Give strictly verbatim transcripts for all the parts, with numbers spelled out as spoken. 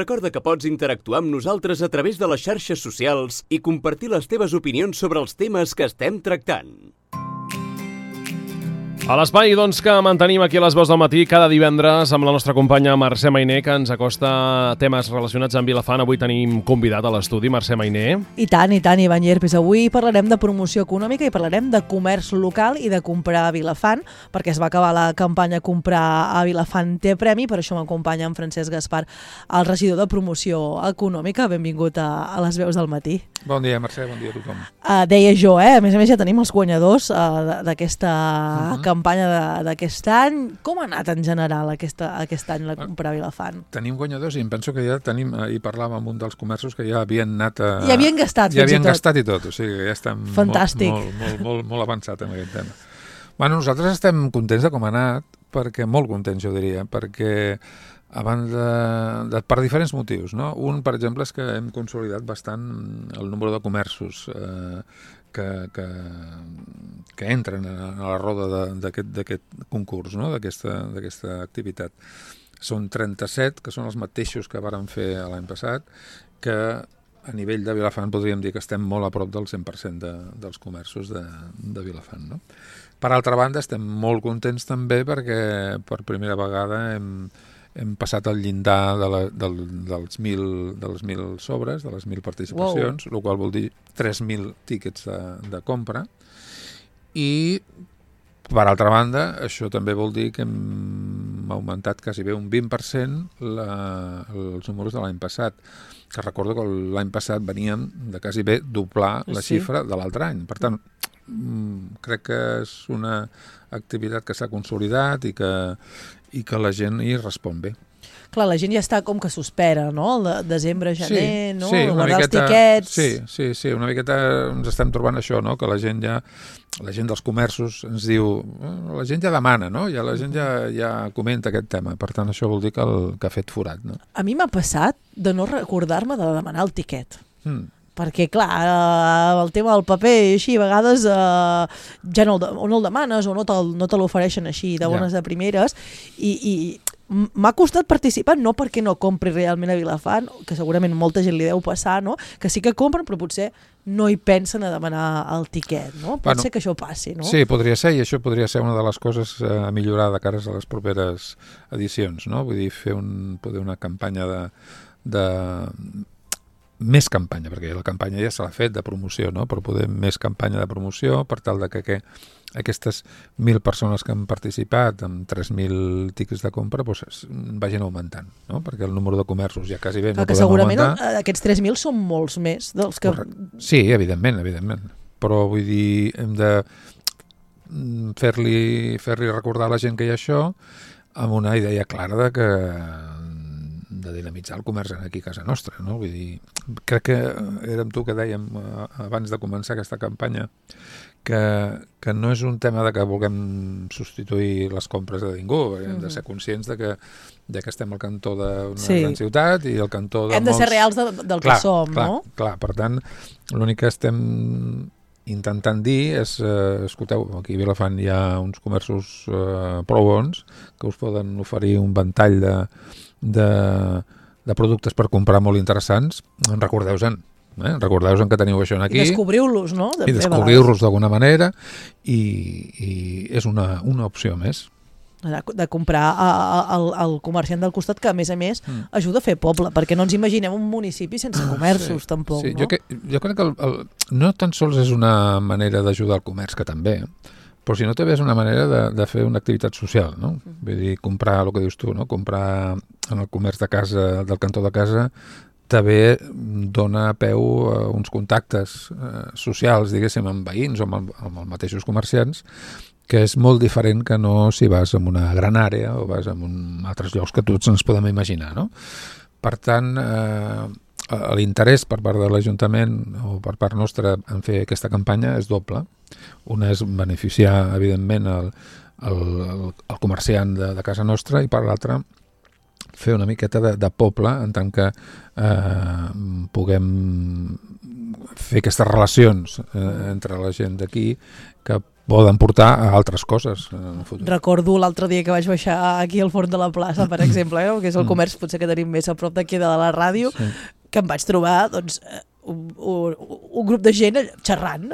Recorda que pots interactuar amb nosaltres a través de les xarxes socials i compartir les teves opinions sobre els temes que estem tractant. A l'espai doncs, que mantenim aquí a les veus del matí cada divendres amb la nostra companya Mercè Mainer, que ens acosta temes relacionats amb Vilafant. Avui tenim convidat a l'estudi, Mercè Mainer. I tant, i tant, Ivan Llerpes. Avui parlarem de promoció econòmica i parlarem de comerç local i de comprar a Vilafant, perquè es va acabar la campanya Comprar a Vilafant té premi, per això m'acompanya en Francesc Gaspar, el regidor de promoció econòmica. Benvingut a, a les veus del matí. Bon dia, Mercè, bon dia a tothom. Uh, deia jo, eh? A més a més ja tenim els guanyadors uh, d'aquesta uh-huh. campanya d'aquest any. Com ha anat en general aquesta, aquest any la Comprar a Vilafant? Tenim guanyadors i em penso que ja tenim, ahir parlàvem amb un dels comerços que ja havien anat a... Ja havien gastat, ja fins havien i tot. gastat i tot, o sigui que ja estem Fantàstic. molt, molt, molt, molt, molt avançat en aquest tema. Bueno, nosaltres estem contents de com ha anat, perquè molt contents jo diria, perquè abans de, de, per diferents motius, no? Un, per exemple, és que hem consolidat bastant el número de comerços eh, que, que, que entren a la roda d'aquest concurs, no? d'aquesta activitat. Són trenta-set, que són els mateixos que vàrem fer l'any passat, que a nivell de Vilafant podríem dir que estem molt a prop del cent per cent de, dels comerços de, de Vilafant, no? Per altra banda, estem molt contents també perquè per primera vegada hem hem passat el llindar de la, del, dels mil, de les mil sobres, de les mil participacions, wow. El qual vol dir tres mil tíquets de, de compra. I, per altra banda, això també vol dir que hem augmentat quasi bé un vint per cent la, els números de l'any passat, que recordo que l'any passat veníem de quasi bé doblar la sí. xifra de l'altre any. Per tant, crec que és una activitat que s'ha consolidat i que, i que la gent hi respon bé. Clar, la gent ja està com que s'espera, no? El de desembre, gener, sí, no? Sí, guardar miqueta, els tiquets... Sí, sí, sí, una miqueta ens estem trobant això, no? Que la gent ja, la gent dels comerços ens diu, la gent ja demana, no? Ja la gent ja, ja comenta aquest tema, per tant això vol dir que, el, que ha fet forat, no? A mi m'ha passat de no recordar-me de demanar el tiquet. Mm. Perquè, clar, el tema del paper, així, a vegades eh, ja no el, o no el demanes o no te, no te l'ofereixen així de bones ja. de primeres, i, i m'ha costat participar, no perquè no compri realment a Vilafant, que segurament molta gent li deu passar, no? Que sí que compren, però potser no hi pensen a demanar el tiquet, no? Pot bueno, ser que això passi, no? Sí, podria ser, i això podria ser una de les coses a millorar de cares a les properes edicions, no? Vull dir, fer un, poder una campanya de... de més campanya, perquè la campanya ja se l'ha fet de promoció, no? Però poder més campanya de promoció per tal de que, que aquestes mil persones que han participat amb tres mil tiquets de compra doncs, vagin augmentant, no? Perquè el número de comerços ja quasi bé no podem segurament augmentar. Segurament aquests tres mil són molts més dels que... Correcte. Sí, evidentment, evidentment. Però vull dir, hem de fer-li fer-li recordar a la gent que hi ha això amb una idea clara de que de dinamitzar el comerç aquí a casa nostra, no? Vull dir, crec que érem tu que dèiem abans de començar aquesta campanya que, que no és un tema de que vulguem substituir les compres de ningú, hem mm-hmm. de ser conscients de que, de que estem al cantó d'una sí. gran ciutat i al cantó de hem molts... de ser reals de, del clar, que som, clar, no? Clar, per tant, l'únic que estem intentant dir és, eh, escolteu, aquí a Vilafant hi ha uns comerços eh, prou bons que us poden oferir un ventall de De, de productes per comprar molt interessants, recordeu-se'n, eh? recordeu-se'n que teniu això aquí. I descobriu-los, no? I descobriu-los d'alguna manera i, i és una, una opció més. De, de comprar al comerciant del costat, que a més a més mm. ajuda a fer poble, perquè no ens imaginem un municipi sense comerços, sí, tampoc, sí. no? Jo, que, jo crec que el, el, no tan sols és una manera d'ajudar al comerç, que també, però si no també és una manera de, de fer una activitat social, no? Vull dir, comprar el que dius tu, no? Comprar en el comerç de casa, del cantó de casa, també dona peu a uns contactes eh, socials, diguéssim, amb veïns o amb, amb els mateixos comerciants, que és molt diferent que no si vas en una gran àrea o vas en un, altres llocs que tots ens podem imaginar, no? Per tant, eh, l'interès per part de l'Ajuntament o per part nostra en fer aquesta campanya és doble. Una és beneficiar, evidentment, el, el, el comerciant de, de casa nostra i per l'altra fer una miqueta de, de poble en tant que eh, puguem fer aquestes relacions eh, entre la gent d'aquí que poden portar a altres coses en el futur. Recordo l'altre dia que vaig baixar aquí al forn de la plaça, per exemple, eh, que és el comerç potser que tenim més a prop d'aquí de la ràdio, sí. que em vaig trobar doncs, un, un, un grup de gent xerrant,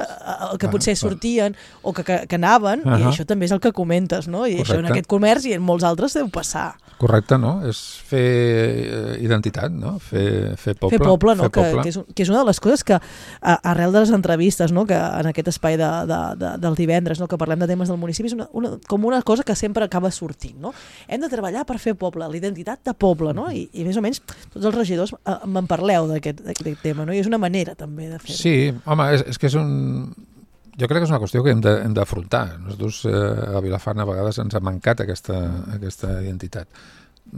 que potser sortien o que, que, que anaven, uh -huh. i això també és el que comentes, no? I Correcte. Això en aquest comerç i en molts altres deu passar. Correcte, no? És fer identitat, no? Fer, fer poble. Fer poble, no? Fer Que, poble. que, és, que és una de les coses que, a, arrel de les entrevistes, no? Que en aquest espai de, de, de, del divendres, no? Que parlem de temes del municipi, és una, una, com una cosa que sempre acaba sortint, no? Hem de treballar per fer poble, la identitat de poble, no? I, i més o menys tots els regidors eh, me'n parleu d'aquest tema, no? I és una manera també de fer-ho. Sí, home, és, és que és un... Jo crec que és una qüestió que hem de, hem d'afrontar. Nosaltres eh, a Vilafant a vegades ens ha mancat aquesta, aquesta identitat.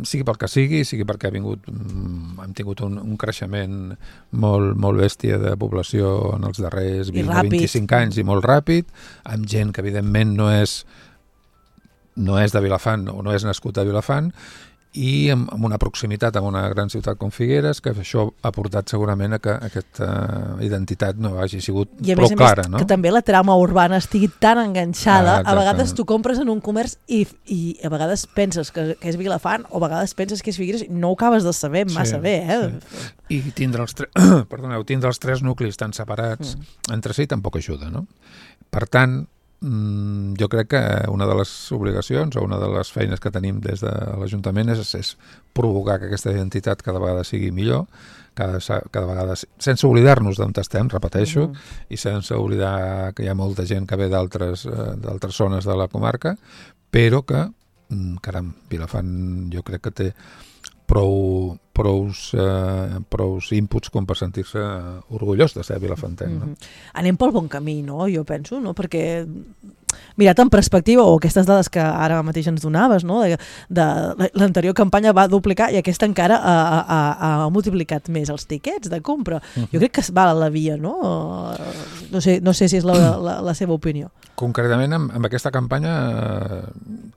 Sigui pel que sigui, sigui perquè ha vingut, hem tingut un, un creixement molt, molt bèstia de població en els darrers vint o vint-i-cinc anys i molt ràpid, amb gent que evidentment no és, no és de Vilafant o no és nascut a Vilafant, i amb, amb una proximitat amb una gran ciutat com Figueres, que això ha portat segurament a que aquesta identitat no hagi sigut I a prou més, clara. Més, no? que també la trama urbana estigui tan enganxada, ah, a vegades tu compres en un comerç i, i a vegades penses que, que és Vilafant o a vegades penses que és Figueres i no ho acabes de saber massa sí, bé. Eh? Sí. I tindre els, tre... Perdoneu, tindre els tres nuclis tan separats mm. entre si tampoc ajuda, no? Per tant, jo crec que una de les obligacions o una de les feines que tenim des de l'Ajuntament és, és provocar que aquesta identitat cada vegada sigui millor, cada, cada vegada, sense oblidar-nos d'on estem, repeteixo, mm-hmm. i sense oblidar que hi ha molta gent que ve d'altres d'altres zones de la comarca, però que, caram, Vilafant jo crec que té prou, prous, eh, prous inputs com per sentir-se orgullós de ser vilafantenc. No? Mm-hmm. Anem pel bon camí, no? Jo penso, no? Perquè mirat en perspectiva, o aquestes dades que ara mateix ens donaves, no? de, de l'anterior campanya va duplicar i aquesta encara ha, ha, ha multiplicat més els tiquets de compra. Uh-huh. Jo crec que es va a la via, no? No sé, no sé si és la, la, la seva opinió. Concretament, amb, amb aquesta campanya, eh,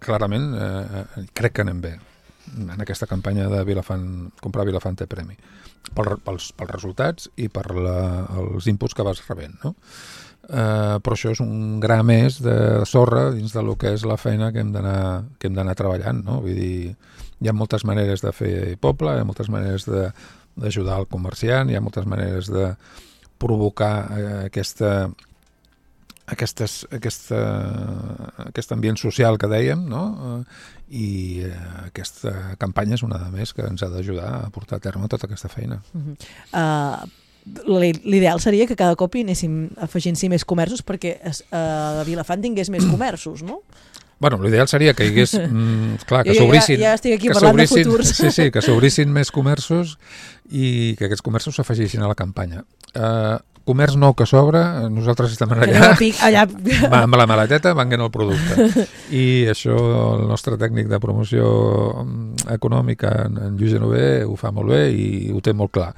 clarament, eh, crec que anem bé. En aquesta campanya de Vilafant, comprar Vilafant té premi, pel, pels, pels resultats i per la, els inputs que vas rebent, no? Uh, però això és un gra més de sorra dins del que és la feina que hem d'anar que hem d'anar treballant, no? Vull dir, hi ha moltes maneres de fer poble, hi ha moltes maneres d'ajudar al comerciant, hi ha moltes maneres de provocar uh, aquesta Aquestes, aquesta, aquest ambient social que dèiem, no? I eh, aquesta campanya és una de més que ens ha d'ajudar a portar a terme tota aquesta feina. Uh-huh. uh, L'ideal seria que cada cop hi anéssim afegint-s'hi més comerços perquè uh, Vilafant tingués més comerços, no? Bueno, l'ideal seria que hi hagués, mm, clar, que s'obrissin... Ja, ja estic aquí parlant de futurs. Sí, sí, que s'obrissin més comerços i que aquests comerços s'afegissin a la campanya. Uh, comerç nou que s'obre, nosaltres estem allà, allà. amb la maleteta venguent el producte. I això el nostre tècnic de promoció econòmica, en Lluís Genover, ho fa molt bé i ho té molt clar.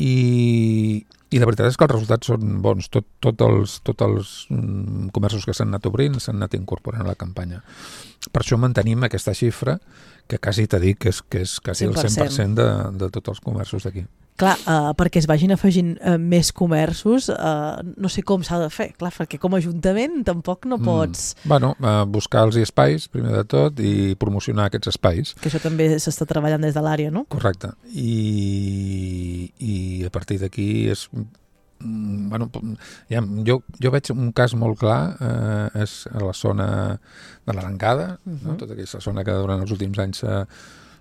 I, i la veritat és que els resultats són bons. Tot, tot els, tot els mm, comerços que s'han anat obrint s'han anat incorporant a la campanya. Per això mantenim aquesta xifra que quasi t'he dit que és, que és quasi el cent per cent de, de tots els comerços d'aquí. Clar, uh, perquè es vagin afegint uh, més comerços, uh, no sé com s'ha de fer, clar, perquè com a Ajuntament tampoc no pots... Mm. Bueno, uh, buscar-los espais, primer de tot, i promocionar aquests espais. Que això també s'està treballant des de l'àrea, no? Correcte. I, i a partir d'aquí és... Bueno, ja, jo, jo veig un cas molt clar, eh, és a la zona de l'Arengada, uh-huh. no? Tota aquesta zona que durant els últims anys s'ha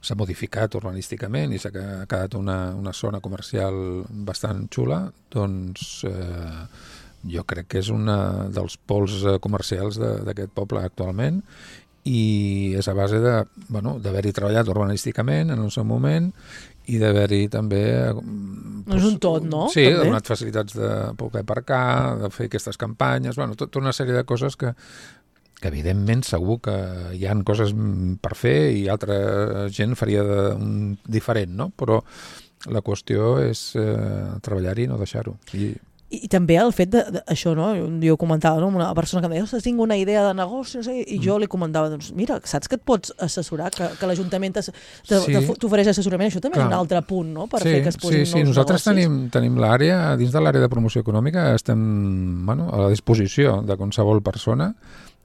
s'ha modificat urbanísticament i s'ha quedat una, una zona comercial bastant xula, doncs eh, jo crec que és un dels pols comercials d'aquest poble actualment i és a base de, bueno, d'haver-hi treballat urbanísticament en el seu moment i d'haver-hi també... No és un tot, no? Sí, també. ha donat facilitats de poder aparcar, de fer aquestes campanyes, bueno, tota una sèrie de coses que que evidentment segur que hi ha coses per fer i altra gent faria de, un diferent, no? Però la qüestió és eh, treballar-hi i no deixar-ho. I I, i també el fet de, de això, no? Jo comentava, no? Una persona que em deia, ostres, tinc una idea de negoci, no sé, i jo li comentava, doncs mira, saps que et pots assessorar, que, que l'Ajuntament t'ofereix assessorament, això també Clar. és un altre punt, no? Per sí, fer que es posin sí, sí. nous Nosaltres negocis. tenim, tenim l'àrea, dins de l'àrea de promoció econòmica, estem bueno, a la disposició de qualsevol persona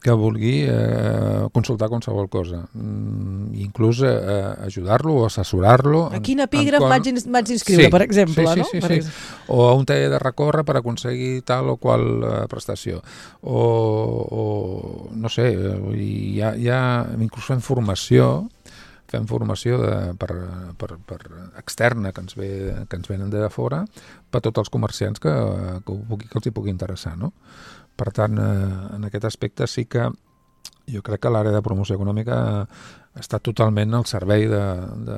que vulgui eh, consultar qualsevol cosa. Mm, inclús eh, ajudar-lo o assessorar-lo. A quin epígraf m'haig com... d'inscriure, sí, per exemple, sí, sí, no? Sí, per sí, sí. O a un taller de recórrer per aconseguir tal o qual eh, prestació. O, o no sé, hi ha, hi ha inclús fem formació fem formació de, per, per, per externa que ens, ve, que ens venen de fora per tots els comerciants que, que, pugui, que els hi pugui interessar, no? Per tant, eh, en aquest aspecte sí que jo crec que l'àrea de promoció econòmica està totalment al servei de, de,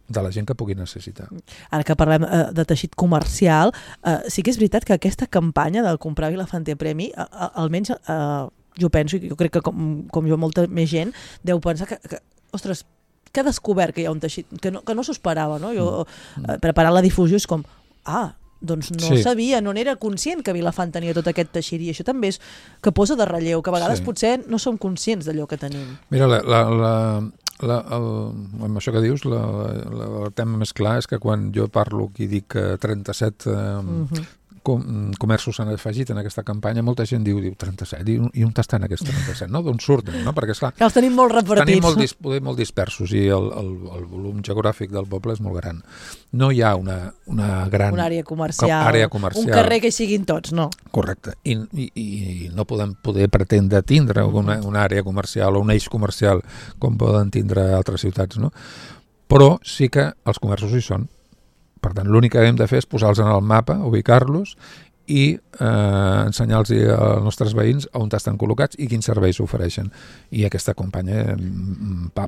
de la gent que pugui necessitar. Ara que parlem eh, de teixit comercial, eh, sí que és veritat que aquesta campanya del comprar Vilafant té premi, a, a, almenys eh, jo penso, i jo crec que com, com jo molta més gent, deu pensar que, que ostres, que ha descobert que hi ha un teixit, que no, que no s'ho esperava, no? Jo, eh, preparant la difusió és com, ah, doncs no sí. sabia, no n'era conscient que Vilafant tenia tot aquest teixit, i això també és que posa de relleu, que a vegades sí. potser no som conscients d'allò que tenim. Mira, la, la, la, la, el, amb això que dius, la, la, el tema més clar és que quan jo parlo i dic trenta-set eh, mm-hmm. com, comerços s'han afegit en aquesta campanya, molta gent diu, diu trenta-set, i, i on estan aquests trenta-set, no? D'on surten, no? Perquè, esclar, que els tenim molt repartits. Tenim molt, dis, molt dispersos i el, el, el volum geogràfic del poble és molt gran. No hi ha una, una gran... Una àrea comercial, àrea comercial, un carrer que siguin tots, no? Correcte. I, i, i no podem poder pretendre tindre una, una àrea comercial o un eix comercial com poden tindre altres ciutats, no? Però sí que els comerços hi són. Per tant, l'únic que hem de fer és posar-los en el mapa, ubicar-los i eh, ensenyar-los als nostres veïns on estan col·locats i quins serveis ofereixen. I aquesta campanya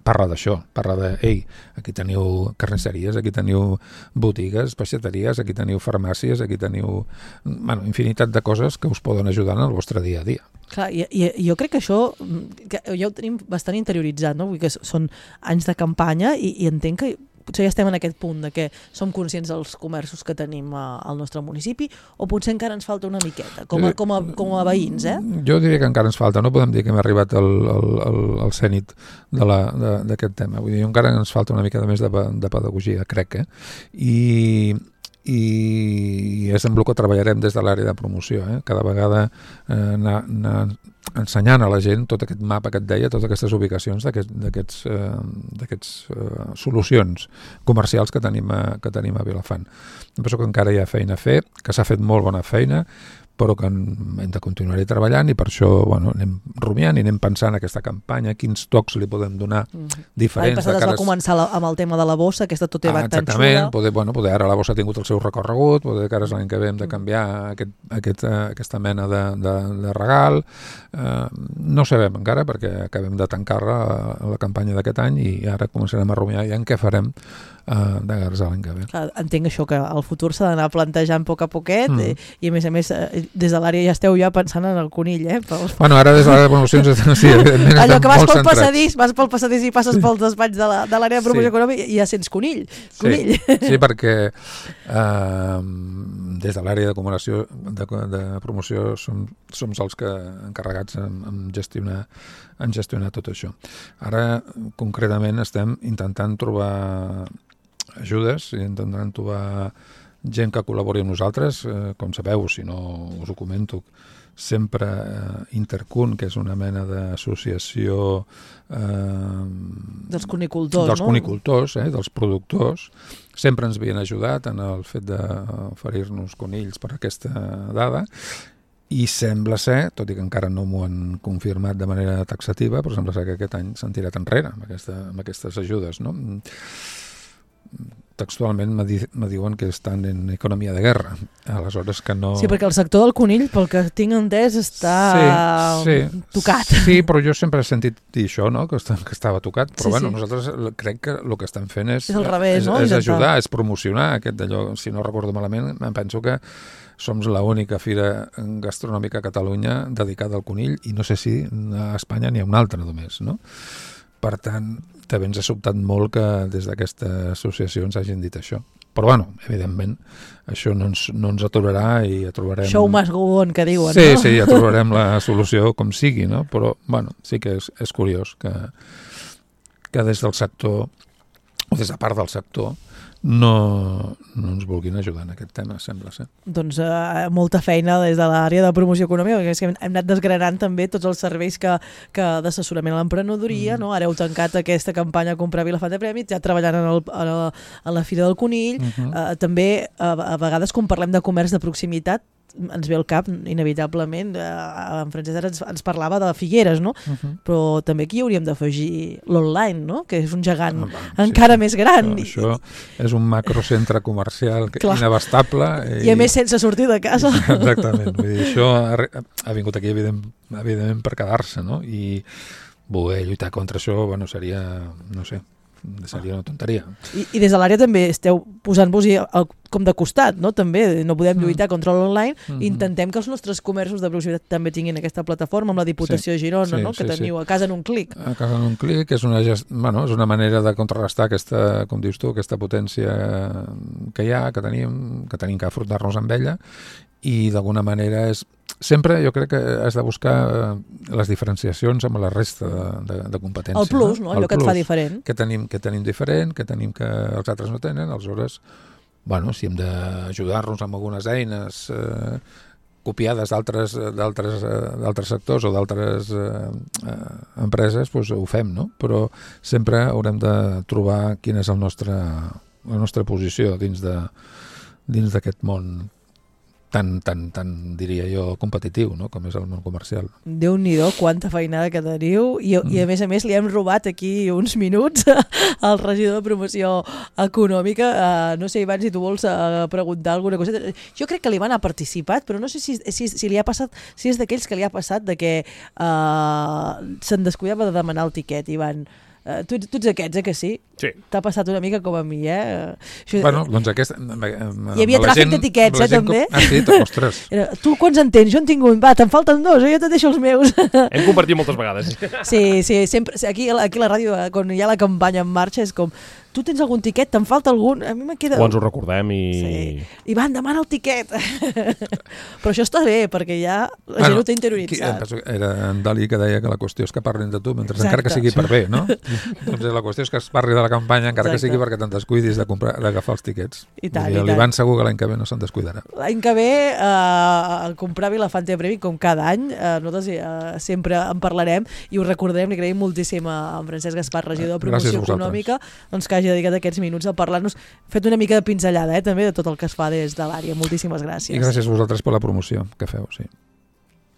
parla d'això, parla de, ei, aquí teniu carnisseries, aquí teniu botigues, peixateries, aquí teniu farmàcies, aquí teniu bueno, infinitat de coses que us poden ajudar en el vostre dia a dia. Clar, i, i jo crec que això que ja ho tenim bastant interioritzat, no? Vull dir que són anys de campanya i, i entenc que potser ja estem en aquest punt de que som conscients dels comerços que tenim a, al nostre municipi, o potser encara ens falta una miqueta, com a, com a, com a veïns, eh? Jo diria que encara ens falta, no podem dir que hem arribat al, al, al, al cènit d'aquest tema, vull dir, encara ens falta una mica més de, de pedagogia, crec, eh? I, i és en el que treballarem des de l'àrea de promoció, eh? Cada vegada eh, anar, anar ensenyant a la gent tot aquest mapa que et deia, totes aquestes ubicacions d'aquests eh, eh, solucions comercials que tenim, a, que tenim a Vilafant. Em penso que encara hi ha feina a fer, que s'ha fet molt bona feina, però que hem de continuar-hi treballant i per això bueno, anem rumiant i anem pensant en aquesta campanya, quins tocs li podem donar mm. diferents. L'any passat es va cares... començar la, amb el tema de la bossa, aquesta tot va ah, tan xula. Poder, bueno, poder ara la bossa ha tingut el seu recorregut, poder que ara l'any que ve hem de canviar aquest, aquest, aquesta mena de, de, de regal. Uh, no sabem encara perquè acabem de tancar la, la campanya d'aquest any i ara començarem a rumiar ja en què farem Uh, de gares l'any que ve. Clar, entenc això, que el futur s'ha d'anar plantejant a poc a poquet mm. i, i a més a més des de l'àrea ja esteu ja pensant en el conill, eh? Pels... Bueno, ara des de l'àrea de promocions sí, allò que vas pel centrats. passadís vas pel passadís i passes pels despatx de l'àrea de promoció sí. econòmica i ja sents conill, conill. Sí, sí perquè uh, des de l'àrea de comunicació de, de promoció som, som els que encarregats en, en gestionar en gestionar tot això. Ara concretament estem intentant trobar ajudes i intentant trobar gent que col·labori amb nosaltres, eh, com sabeu, si no us ho comento, sempre eh, Intercun, que és una mena d'associació eh, dels conicultors, dels no? conicultors, eh, dels productors, sempre ens havien ajudat en el fet d'oferir-nos conills per aquesta dada i sembla ser, tot i que encara no m'ho han confirmat de manera taxativa, però sembla ser que aquest any s'han tirat enrere amb, aquesta, amb aquestes ajudes, no? Textualment me, di me diuen que estan en economia de guerra, aleshores que no... Sí, perquè el sector del conill, pel que tinc entès, està sí, sí, tocat. Sí, però jo sempre he sentit dir això, no? que, està, que estava tocat, però sí, bueno, sí. nosaltres crec que el que estem fent és, és, al revés, és, no? és ajudar, és promocionar aquest d'allò, si no recordo malament, em penso que som l'única fira gastronòmica a Catalunya dedicada al conill i no sé si a Espanya n'hi ha una altra només, no? Per tant, també ens ha sobtat molt que des d'aquesta associació ens hagin dit això. Però, bueno, evidentment, això no ens, no ens aturarà i ja trobarem... Show must go on, que diuen, sí, no? Sí, sí, ja trobarem la solució com sigui, no? Però, bueno, sí que és, és curiós que, que des del sector, o des de part del sector, no, no ens vulguin ajudar en aquest tema, sembla ser. Doncs eh, molta feina des de l'àrea de promoció econòmica, perquè és que hem anat desgranant també tots els serveis que, que d'assessorament a l'emprenedoria, mm. no? Ara heu tancat aquesta campanya Comprar Vilafant de Prèmits, ja treballant en, el, en, la, en la Fira del Conill, uh -huh. eh, també a, a vegades quan parlem de comerç de proximitat ens ve al cap, inevitablement, eh, en Francesc ara ens, ens parlava de Figueres, no? Uh -huh. Però també aquí hauríem d'afegir l'online, no? Que és un gegant ah, va, encara sí, més gran. Això, això és un macrocentre comercial que, inabastable. I, I a més sense sortir de casa. Exactament. Vull dir, això ha, ha vingut aquí evident, evidentment per quedar-se, no? I voler lluitar contra això, bueno, seria, no sé, seria una tonteria. I, i des de l'àrea també esteu posant-vos-hi com de costat, no? També no podem lluitar mm. contra l'online, mm-hmm. intentem que els nostres comerços de proximitat també tinguin aquesta plataforma amb la Diputació sí, de Girona, sí, no? Que sí, teniu sí. a casa en un clic. A casa en un clic és una, gest... bueno, és una manera de contrarrestar aquesta, com dius tu, aquesta potència que hi ha, que tenim, que tenim que afrontar-nos amb ella, i d'alguna manera és sempre jo crec que has de buscar les diferenciacions amb la resta de, de, de competències. El plus, no? no? Allò que et fa diferent. Que tenim, que tenim diferent, que tenim que els altres no tenen, aleshores, bueno, si hem d'ajudar-nos amb algunes eines eh, copiades d'altres d'altres d'altres sectors o d'altres eh, eh, empreses, doncs ho fem, no? Però sempre haurem de trobar quina és el nostre, la nostra posició dins de dins d'aquest món tan, tan, tan, diria jo, competitiu, no? Com és el món comercial. Déu-n'hi-do, quanta feinada que teniu, i, mm. i a més a més li hem robat aquí uns minuts al regidor de promoció econòmica. Uh, no sé, Ivan, si tu vols uh, preguntar alguna cosa. Jo crec que l'Ivan ha participat, però no sé si, si, si li ha passat, si és d'aquells que li ha passat de que uh, se'n descuidava de demanar el tiquet, Ivan. Uh, tu, tu ets aquests, eh, que sí? Sí. T'ha passat una mica com a mi, eh? Això, bueno, doncs aquesta... Hi havia tràfic d'etiquets, eh, també? Com... Ah, sí, ostres. Tu quants en tens? Jo en tinc un. Va, te'n falten dos, eh? Jo te deixo els meus. Hem compartit moltes vegades. Sí, sí, sempre. Aquí, aquí a la ràdio, quan hi ha la campanya en marxa, és com... Tu tens algun tiquet? Te'n falta algun? A mi me queda... O ens ho recordem i... Sí. Ivan, demana el tiquet. Però això està bé, perquè ja la bueno, gent ho té interioritzat. Era en Dalí que deia que la qüestió és que parlin de tu, mentre Exacte. encara que sigui per bé, no? Doncs la qüestió és que es parli de la campanya, encara Exacte. que sigui perquè te'n descuidis de comprar, d'agafar els tiquets. I tant, I l'Ivan segur que l'any que ve no se'n descuidarà. L'any que ve, eh, el comprar Vilafant de Premi, com cada any, eh, nosaltres eh, sempre en parlarem i ho recordarem, li agraïm moltíssim a en Francesc Gaspar, regidor de Promoció Econòmica, doncs que hagi dedicat aquests minuts a parlar-nos, fet una mica de pinzellada, eh, també, de tot el que es fa des de l'àrea. Moltíssimes gràcies. I gràcies a vosaltres per la promoció que feu, sí.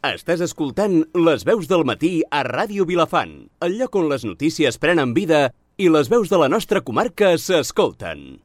Estàs escoltant Les veus del matí a Ràdio Vilafant, el lloc on les notícies prenen vida i les veus de la nostra comarca s'escolten.